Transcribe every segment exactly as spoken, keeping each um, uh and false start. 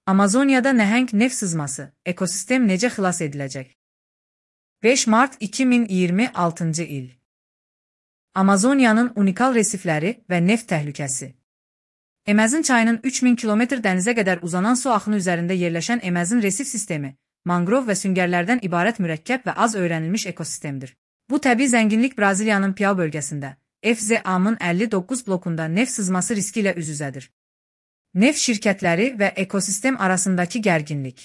Amazoniyada nəhəng neft sızması, ekosistem necə xilas ediləcək? beş mart iki min iyirmi altıncı il. Amazoniyanın unikal resifləri və neft təhlükəsi. Emezin çayının üç min kilometr dənizə qədər uzanan su axını üzərində yerləşən Emezin resif sistemi, mangrov və süngərlərdən ibarət mürəkkəb və az öyrənilmiş ekosistemdir. Bu təbii zənginlik Braziliyanın Piau bölgəsində, F Z A-nın əlli doqquz blokunda neft sızması riski ilə üz-üzədir. Neft şirkətləri və ekosistem arasındakı gərginlik.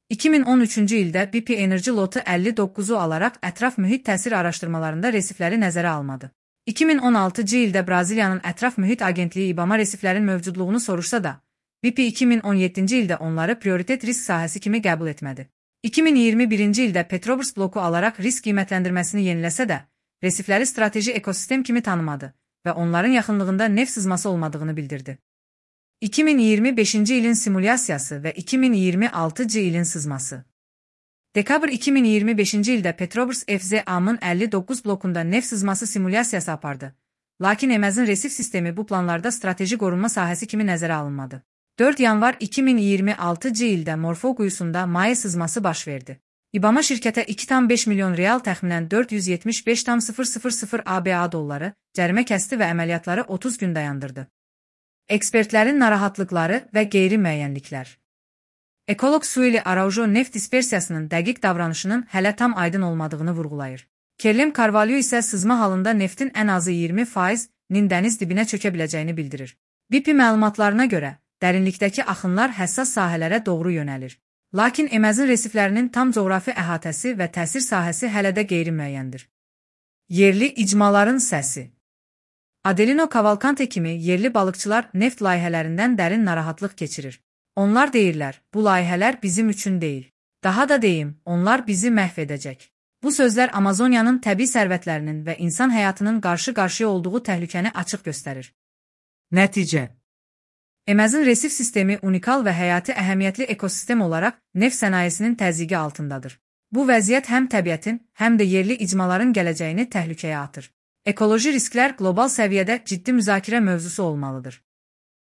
iki min on üçüncü ildə B P Energy lotu əlli doqquzu alaraq ətraf mühit təsir araşdırmalarında resifləri nəzərə almadı. iki min on altıncı ildə Braziliyanın Ətraf Mühit Agentliyi İBAMA resiflərin mövcudluğunu soruşsa da, B P iki min on yeddinci ildə onları prioritet risk sahəsi kimi qəbul etmədi. iki min iyirmi birinci ildə Petrobras bloku alaraq risk qiymətləndirməsini yeniləsə də, resifləri strateji ekosistem kimi tanımadı və onların yaxınlığında neft sızması olmadığını bildirdi. iki min iyirmi beşinci ilin simulyasiyası və iki min iyirmi altıncı ilin sızması. Dekabr iki min iyirmi beşinci ildə Petrobras F Z A-nın əlli doqquz blokunda neft sızması simulyasiyası apardı. Lakin Emezin resif sistemi bu planlarda strateji qorunma sahəsi kimi nəzərə alınmadı. dörd yanvar iki min iyirmi altıncı ildə Morfo quyusunda maye sızması baş verdi. İBAMA şirkətə iki tam beş milyon real təxminən dörd yüz yetmiş beş tam sıfır sıfır sıfır A B A dolları cərimə kəsdi və əməliyyatları otuz gün dayandırdı. Ekspertlərin narahatlıqları və qeyri-müəyyənliklər. Ekoloq Sueli Araujo neft dispersiyasının dəqiq davranışının hələ tam aydın olmadığını vurğulayır. Kerlem Carvalho isə sızma halında neftin ən azı iyirmi faizinin dəniz dibinə çökə biləcəyini bildirir. B P məlumatlarına görə, dərinlikdəki axınlar həssas sahələrə doğru yönəlir. Lakin Emezin resiflərinin tam coğrafi əhatəsi və təsir sahəsi hələ də qeyri-müəyyəndir. Yerli icmaların səsi. Adelino Cavalcante kimi yerli balıqçılar neft layihələrindən dərin narahatlıq keçirir. Onlar deyirlər, bu layihələr bizim üçün deyil. Daha da deyim, onlar bizi məhv edəcək. Bu sözlər Amazoniyanın təbii sərvətlərinin və insan həyatının qarşı-qarşıya olduğu təhlükəni açıq göstərir. Nəticə. Emezin resif sistemi unikal və həyati əhəmiyyətli ekosistem olaraq neft sənayesinin təzyiqi altındadır. Bu vəziyyət həm təbiətin, həm də yerli icmaların gələcəyini təhlükəyə atır. Ekoloji risklər qlobal səviyyədə ciddi müzakirə mövzusu olmalıdır.